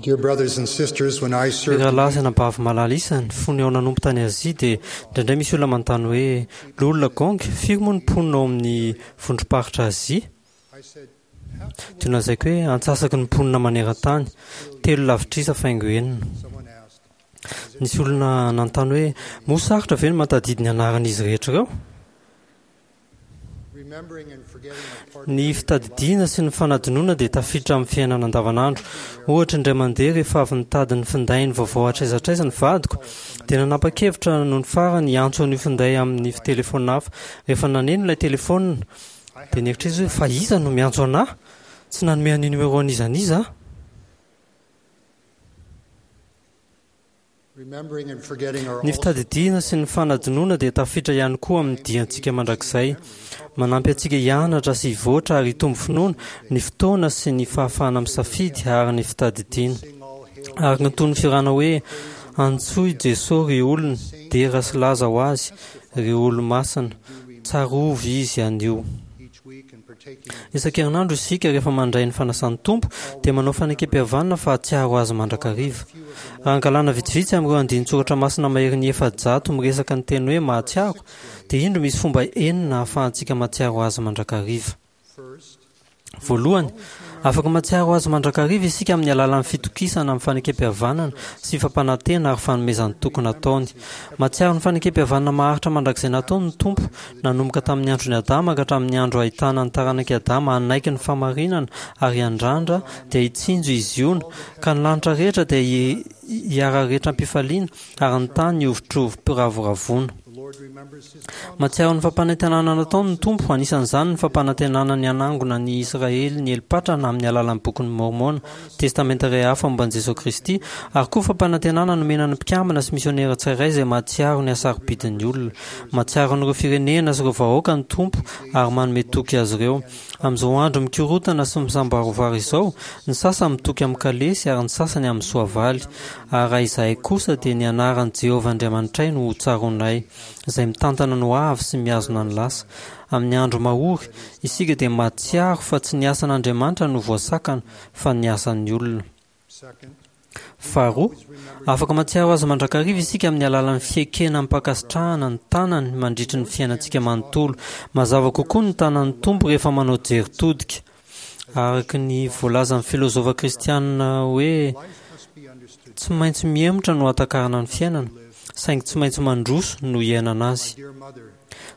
Dear brothers and sisters, when I Ry served rahalahy sy anabavy malala isany, fony aho nanompo tany Azia dia indraindray misy olona manontany hoe, Loholona Gong, firy moa ny mponina ao amin'ny vondrom-paritra Azia? I said, half the Dia nolazaiko hoe, antsasaky ny mponina maneran-tany, telo lavitrisa faingo enina. someone asked, Nisy olona nanontany hoe, moa sarotra ve ny mahatadidy ny anaran'izy rehetra ireo? remembering and forgetting are part Ny fitadidiana sy ny fanadinoana dia tafiditra amin'ny fiainana andavanandro. Ohatra, indray mandeha rehefa avy nitady ny findainy vaovao hatraiza hatraiza ny vadiko, dia nanapa-kevitra nony farany hiantso an'io finday amin'ny telefaonina hafa. Rehefa naneno ilay telefaonina, dia nieritreritra izy hoe, fa iza no miantso an'ahy? Tsy nanome an'io numéro an'iza n'iza aho. Remembering and forgetting are Ny also fitadidiana sy ny fanadinoana dia tafiditra ihany koa amin'ny diantsika mandrakizay. Manampy antsika hianatra sy hivoatra ary hitombo finoana ny fotoana sy ny fahafahana misafidy ary ny fitadidiana. sing all hail Araka ny toy ny fihirana hoe Antsoy Jeso ry olona, dera sy laza ho azy, ry olo-masina, tsarovy izy anio. each week and partaking of Isan-kerinandro isika rehefa mandray ny fanasan'ny Tompo dia manao fanekempihavanana fa hahatsiaro azy mandrakariva. Raha angalana vitsivitsy amin'ireo andinin-tsoratra masina maherin'ny 400 miresaka ny teny hoe mahatsiaro, dia indro misy fomba enina ahafahantsika mahatsiaro azy mandrakariva. first Voalohany, afaka mahatsiaro azy mandrakariva isika amin'ny alalan'ny fitokisana amin'ny fanekempihavanana sy fampanantena ary fanomezan-toky nataony. Mahatsiaro ny fanekempihavanana maharitra mandrakizay nataony ny Tompo, nanomboka tamin'ny andron'i Adama ka hatramin'ny andro ahitana ny taranak'i Adama hanaiky ny fahamarinana ary hiandrandra dia hitsinjo i Ziona, ka ny lanitra rehetra dia hi- hiara-rehetra am-pifaliana ary ny tany hihovitrovim-piravoravoana. the Lord remembers his promise Mahatsiaro ny fampanantenana nataony ny Tompo, anisan'izany ny fampanantenana ny hanangona ny Israely nieli-patrana amin'ny alalan'ny bokin'i Môrmôna, Testamenta iray hafa momba an'i Jesoa Kristy, ary koa fampanantenana nomena ny mpikambana sy misionera tsirairay izay mahatsiaro ny hasarobidin'ny olona. Mahatsiaro an'ireo firenena sy ireo vahoaka ny Tompo ary manome toky azy ireo. Amin'izao andro mikorontana sy misamboarivary izao, ny sasany mitoky amin'ny kalesy ary ny sasany amin'ny soavaly. Ary raha izahay kosa dia ny anaran'i Jehovah Andriamanitray no hotsaroanay, izay mitantana ny hoavy sy mihazona ny lasa. Amin'ny andro mahory, isika dia mahatsiaro fa tsy ny asan'Andriamanitra no voasakana, fa ny asan'ny olona. second Faharoa, afaka mahatsiaro azy mandrakariva isika amin'ny alalan'ny fiekena amim-pankasitrahana ny tanany mandritry ny fiainantsika manontolo. Mazava kokoa ny tanan'ny Tompo rehefa manao jery todika. Araka ny voalazan'ny filozofa kristianina hoe life must be understood tsy maintsy mihemotra no hahatakarana ny fiainana, saingy tsy maintsy mandroso no hiainana azy. my dear mother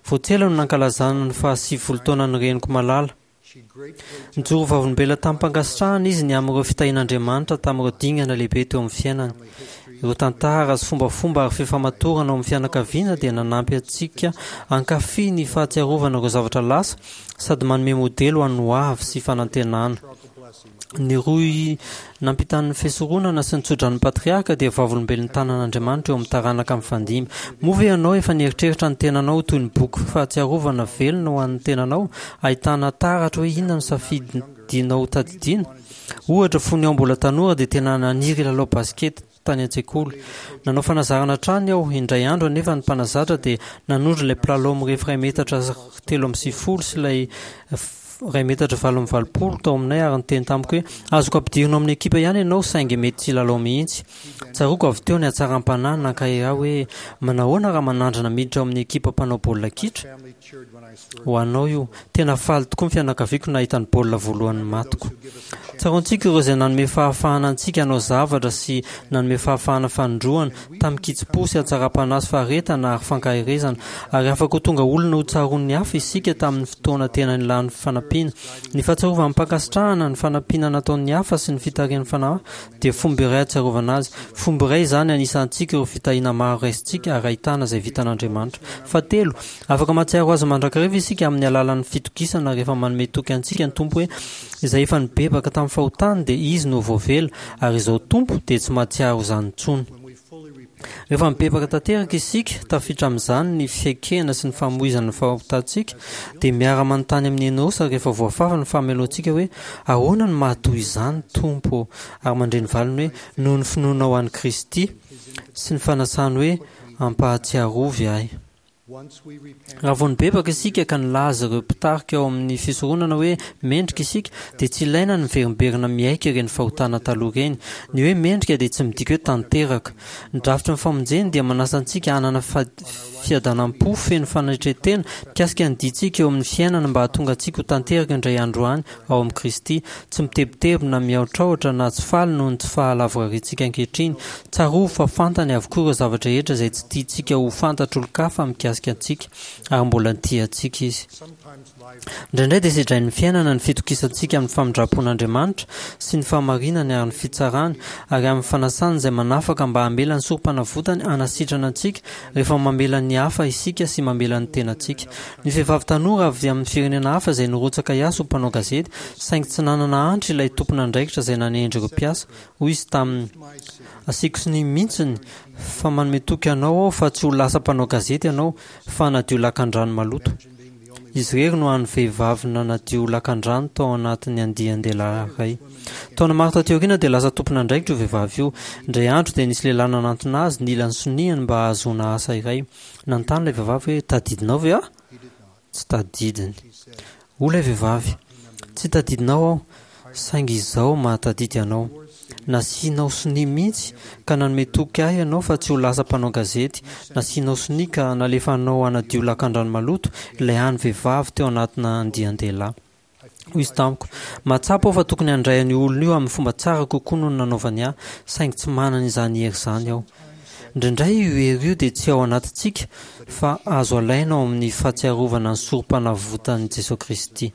Vao tsy ela no nankalazana ny faha-90 taonan'ny reniko malala. she gratefully Nijoro vavolombelona tamim-pankasitrahana izy ny amin'ireo fitahian'Andriamanitra tamin'ireo dingana lehibe teo amin'ny fiainany. Ireo tantara sy fombafomba ary fifamatorana ao amin'ny fianakaviana dia nanampy antsika hankafy ny fahatsiarovana ireo zavatra lasa sady manome modely ho an'ny hoavy sy fanantenana. patriarchal blessing Ny rohy nampitan'ny fisoronana sy ny tsodran'ny patriarka dia vavolombelon'ny tanan'Andriamanitra eo amin'ny taranaka mifandimby. Moa ve ianao efa nieritreritra ny tenanao ho toy ny boky fahatsiarovana velona ho an'ny tenanao, ahitana taratra hoe inona no safidinao hotadidiana? Ohatra, fony aho mbola tanora dia tena naniry hilalao basikety tany an-tsekoly. Nanao fanazarana hatrany aho, indray andro anefa ny mpanazatra dia nanondro ilay mpilalao mirefy iray metatra 93 sy ilay iray metatra 88 tao aminay ary niteny tamiko hoe azoko ampidirina ao amin'ny ekipa ihany ianao saingy mety tsy hilalao mihitsy. Tsaroako avy teo ny hatsaram-panahy nankahery ahy hoe manahoana raha manandrana miditra ao amin'ny ekipa mpanao baolina kitra? family cheered when I scored Ho anao io. Tena faly tokoa ny fianakaviako nahita ny baolina voalohany matiko. Tsaroantsika ireo izay nanome fahafahana antsika hanao zavatra sy nanome fahafahana fanindroana tamin-kitsim-po sy hatsaram-panahy sy faharetana ary fankaherezana, ary afaka ho tonga olona hotsaroan'ny hafa isika tamin'ny fotoana tena nilany fanampiana. Ny fahatsiarovana amim-pankasitrahana ny fanampiana nataon'ny hafa sy ny fitarihan'ny fanahy dia fomba iray hahatsiarovana azy. Fomba iray izany anisantsika ireo fitahiana maro raisintsika ary ahitana izay vitan'Andriamanitra. Fahatelo, afaka mahatsiaro azy mandrakariva isika amin'ny alalan'ny fitokisana rehefa manome toky antsika ny Tompo hoe izay efa nibebaka tamin'ny fahotany dia izy no voavela ary izao Tompo dia tsy mahatsiaro izany intsony. when we fully repent Rehefa mibebaka tanteraka isika, tafiditra amin'izany ny fiaikena sy ny famoizana ny fahotantsika, dia miara-manontany amin'i Enosa rehefa voafafa ny fahamelohantsika hoe ahoana no mahatoy izany Tompo ô? Ary mandre ny valiny hoe noho ny finoanao an'i Kristy sy ny fanasany hoe ampahatsiarovy ahy. Raha vao nibebaka isika ka nilaza ireo mpitarika ao amin'ny fisoronana hoe mendrika isika, dia tsy ilaina ny miverimberina miaiky ireny fahotana taloha ireny. Ny hoe mendrika dia tsy midika hoe tanteraka. Ny drafitry ny famonjeny dia manasa antsika hanana fiadanam-po feno fanetren-tena mikasika ny diantsika eo amin'ny fiainana mba hahatonga antsika ho tanteraka indray andro any ao amin'i Kristy, tsy mitebiteby na mihaotraotra na tsy faly noho ny tsy fahalavorariantsika ankehitriny. Tsarovy fa fantany avokoa ireo zavatra rehetra izay tsy tiantsika ho fantatr'olon-kafa mikasika antsika, ary mbola tia antsika Izy. Indraindray dia sedrain'ny fiainana ny fitokisantsika amin'ny famindram-pon'Andriamanitra sy ny fahamarinany ary ny fitsarany ary amin'ny fanasany izay manafaka mba hamela ny sorompanavotany hanasitrana antsika rehefa mamela ny hafa isika sy mamela ny tenantsika. Ny vehivavy tanora avy amin'ny firenena hafa izay nirotsaka hiasa ho mpanao gazety, saingy tsy nanana antra ilay tompon'andraikitra izay nanendry ireo mpiasa. Hoy izy taminy, Asiako sonia mihitsiny fa manome toky anao aho fa tsy ho lasa mpanao gazety ianao fa hanadio lakandrano maloto. Izy irery no hany vehivavy nanadio lakandrano tao anatin'ny andian-dehilahy iray. Taona maro taty aoriana dia lasa tompon'andraikitra io vehivavy io. Indray andro dia nisy lehilahy nanantona azy nila ny soniany mba hahazoana asa iray. Nanontany ilay vehivavy hoe, Tadidinao ve aho? Tsy tadidiny. Hoy ilay vehivavy, Tsy tadidinao aho, saingy izaho mahatadidy anao. Nasianao sonia mihitsy ka nanome toky ahy ianao fa tsy ho lasa mpanao gazety. Nasianao sonia ka nalefanao hanadio lakandrano maloto ilay hany vehivavy teo anatina andian-dehilahy. Hoy izy tamiko, Mahatsapa aho fa tokony handray an'io olona io amin'ny fomba tsara kokoa noho ny nanaovany ahy, saingy tsy manana izany hery izany aho. Indraindray io hery io dia tsy ao anatintsika, fa azo alaina ao amin'ny fahatsiarovana ny Sorompanavotan'i Jesoa Kristy.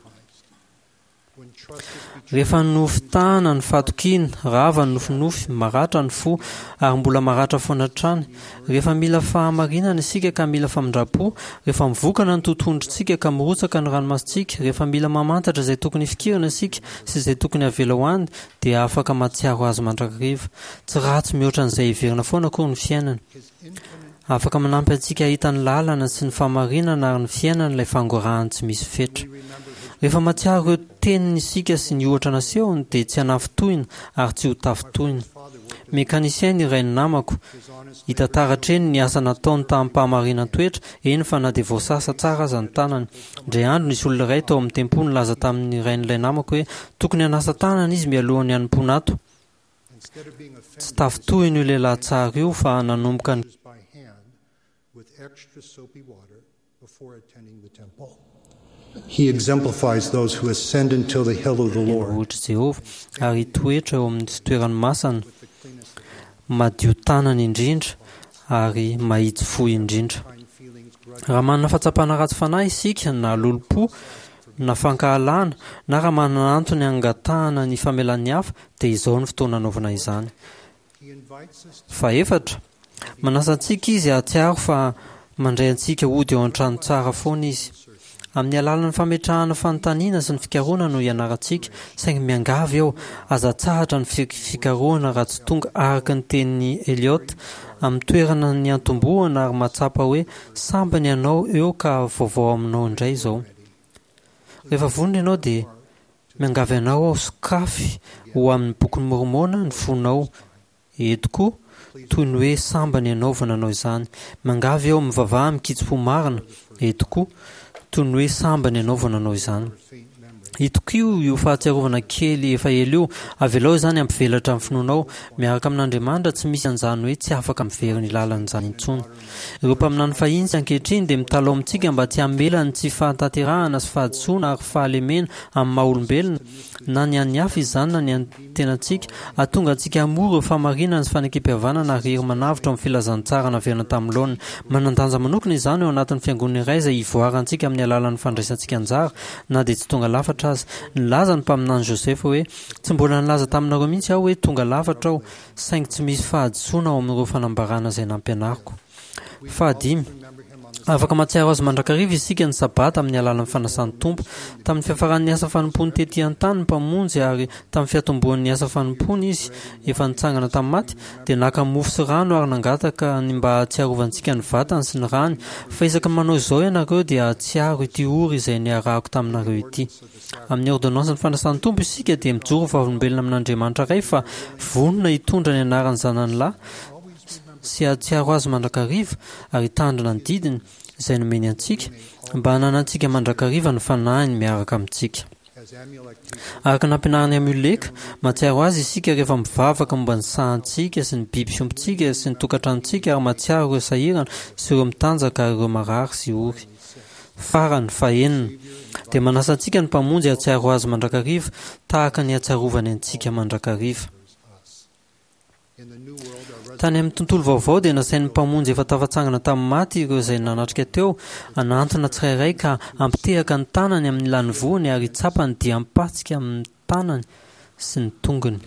Rehefa nofitahana ny fahatokiana, rava ny nofinofy, maratra ny fo, ary mbola maratra foana hatrany. Rehefa mila fahamarinana isika ka mila famindram-po, rehefa mivokana ny totohondrintsika ka mirotsaka ny ranomasontsika, rehefa mila mamantatra izay tokony hifikirana isika sy izay tokony havela ho any, dia afaka mahatsiaro azy mandrakariva. Tsy ratsy mihoatra an'izay heverina foana akory ny fiainana. Afaka manampy antsika hahita ny lalana sy ny fahamarinana ary ny fiainana ilay fangorahany tsy misy fetra. Rehefa mahatsiaro ireo teniny isika sy ny ohatra nasehony dia tsy hanafintohina ary tsy ho tafintohina. Mécanicien ny rain'ny namako. Hita taratra eny ny asa nataony tamim-pahamarinan-toetra, eny fa na dia voasasa tsara aza ny tanany. Indray andro nisy olona iray tao amin'ny tempoly nilaza tamin'ny rain'ilay namako hoe tokony hanasa tanana izy mialohan'ny hanompoana ato. Tsy tafintohina io lehilahy tsara io fa nanomboka ny. Tendrombohitr'i Jehovah ary hitoetra eo amin'ny fitoerany masina, madio tanana indrindra ary mahitsy fo indrindra. Raha manana fahatsapana ratsy fanahy isika na lolompo na fankahalana na raha manana antony hangatahana ny famelan'ny hafa dia izao no fotoana hanaovana izany. Fahefatra, manasa antsika Izy hahatsiaro fa mandray antsika hody ao an-trano tsara foana Izy. Amin'ny alalan'ny fametrahana fanontaniana sy ny fikarohana no hianarantsika, saingy miangavy aho, aza atsahatra ny fikarohana raha tsy tonga araka ny tenin'i Eliot amin'ny toerana niantombohana ary mahatsapa hoe sambany ianao eo ka vaovao aminao indray izao. Rehefa vonona ianao dia miangavy anao aho sokafy ho amin'ny Bokin'i Môrmôna ny fonao eto koa, toy ny hoe sambany ianao vao nanao izany. Miangavy aho mivavaha amin-kitsim-po marina eto koa, toy ny hoe sambany ianao vao nanao izany. Itokio io fahatsiarovana kely efa ela io, avelao izany hampivelatra ny finoanao. Miaraka amin'Andriamanitra tsy misy an'izany hoe tsy afaka miverina ilàlana izany intsony. Ireo mpaminany fahiny sy ankehitriny dia mitalaho amintsika mba tsy hamela ny tsy fahatanterahana sy fahadisoana ary fahalemena amin'ny maha-olombelona, na ny an'ny hafa izany na ny an'ny tenantsika, hahatonga antsika hamoa ireo fahamarinana sy fanekempihavanana ary hery manavotra ao amin'ny filazantsara naverina tamin'ny laoniny. Manan-danja manokana izany ao anatin'ny fiangonana iray izay ivoarantsika amin'ny alalan'ny fandraisantsika anjara na dia tsy tonga lafatra aza. Nilaza ny mpaminany Joseph hoe, Tsy mbola nilaza taminareo mihitsy aho hoe tonga lafatra aho, saingy tsy misy fahadisoana ao amin'ireo fanambarana izay nampianariko. Fahadimy, afaka mahatsiaro azy mandrakariva isika ny Sabata amin'ny alalan'ny fanasan'ny Tompo. Tamin'ny fiafaran'ny asa fanompoany tetỳ an-tany ny Mpamonjy ary tamin'ny fiatombohan'ny asa fanompoany Izy efa nitsangana tamin'ny maty, dia naka mofo sy rano ary nangataka ny mba hahatsiarovantsika ny vatany sy ny rany, fa isaky ny manao izao ianareo dia hahatsiaro ity ory izay niarahako taminareo ity. Amin'ny ôrdônansin'ny fanasan'ny Tompo isika dia mijoro ho vavolombelona amin'Andriamanitra Ray fa vonona hitondra ny anaran'ny Zanany Lahy sy hahatsiaro Azy mandrakariva ary hitandrina ny didiny. izay nomeny antsika mba hananantsika mandrakariva ny Fanahiny miaraka amintsika. Araka ny nampianarin'i Amioleka, mahatsiaro azy isika rehefa mivavaka momba ny sahantsika sy ny biby fiompintsika sy ny tokantranontsika ary mahatsiaro ireo sahirana sy ireo mitanjaka ary ireo marary sy ory. Farany, fahenina, dia manasa antsika ny Mpamonjy hahatsiaro Azy mandrakariva tahaka ny hahatsiarovany antsika mandrakariva. Tany amin'ny tontolo vaovao dia nasain'ny Mpamonjy efa tafatsangana tamin'ny maty ireo izay nanatrika teo hanantona tsirairay ka hampitehaka ny tanany amin'ny lanivoany ary hitsapa ny diam-patsika amin'ny tanany sy ny tongony.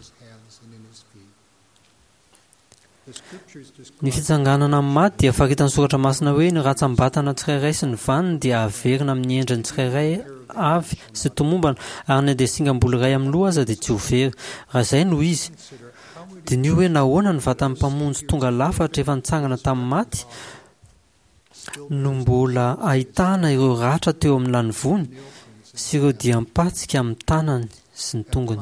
Ny fitsanganana amin'ny maty dia faritan'ny Soratra Masina hoe ny rantsambatana tsirairay sy ny vaniny dia haverina amin'ny endriny tsirairay avy sy tomombana ary na dia singam-bolo iray amin'ny loha aza dia tsy ho very. Raha izay no izy, diniho hoe nahoana ny vatan'ny Mpamonjy tonga lafatra efa nitsangana tamin'ny maty no mbola ahitana ireo ratra teo amin'ny lanivoany sy ireo diam-patsika amin'ny tanany sy ny tongony.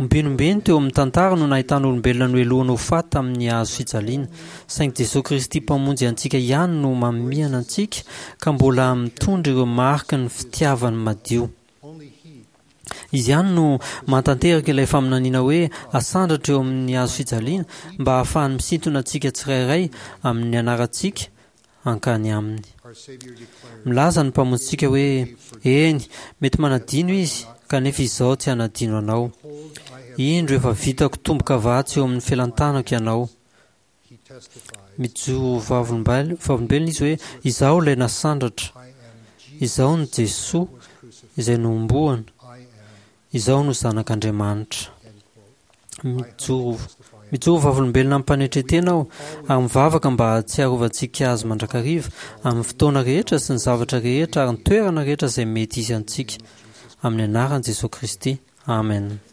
Ombenombeny teo amin'ny tantara no nahitana olombelona nohelohina ho faty tamin'ny hazo fijaliana, saingy Jesoa Kristy Mpamonjy antsika ihany no mamihana antsika ka mbola mitondra ireo mariky ny fitiavany madio. Izy ihany no mahatanteraka ilay faminaniana hoe asandratra eo amin'ny hazo fijaliana mba hahafahany misintona antsika tsirairay amin'ny anarantsika hankany aminy. Milaza ny Mpamonjintsika hoe, Eny, mety manadino izy, kanefa izaho tsy hanadino anao. Indro efa vitako tombo-kavatsy eo amin'ny felan-tanako ianao. Mijoro ho vavolombelona izy hoe, Izaho ilay nasandratra. Izaho no Jesoa izay nohomboana. Izaho no Zanak'Andriamanitra. Mijoro mijoro vavolombelona amim-panetren-tena aho ary mivavaka mba hahatsiarovantsika Azy mandrakariva amin'ny fotoana rehetra sy ny zavatra rehetra ary ny toerana rehetra izay mety hisy antsika. Amin'ny anaran'i Jesoa Kristy. Amen.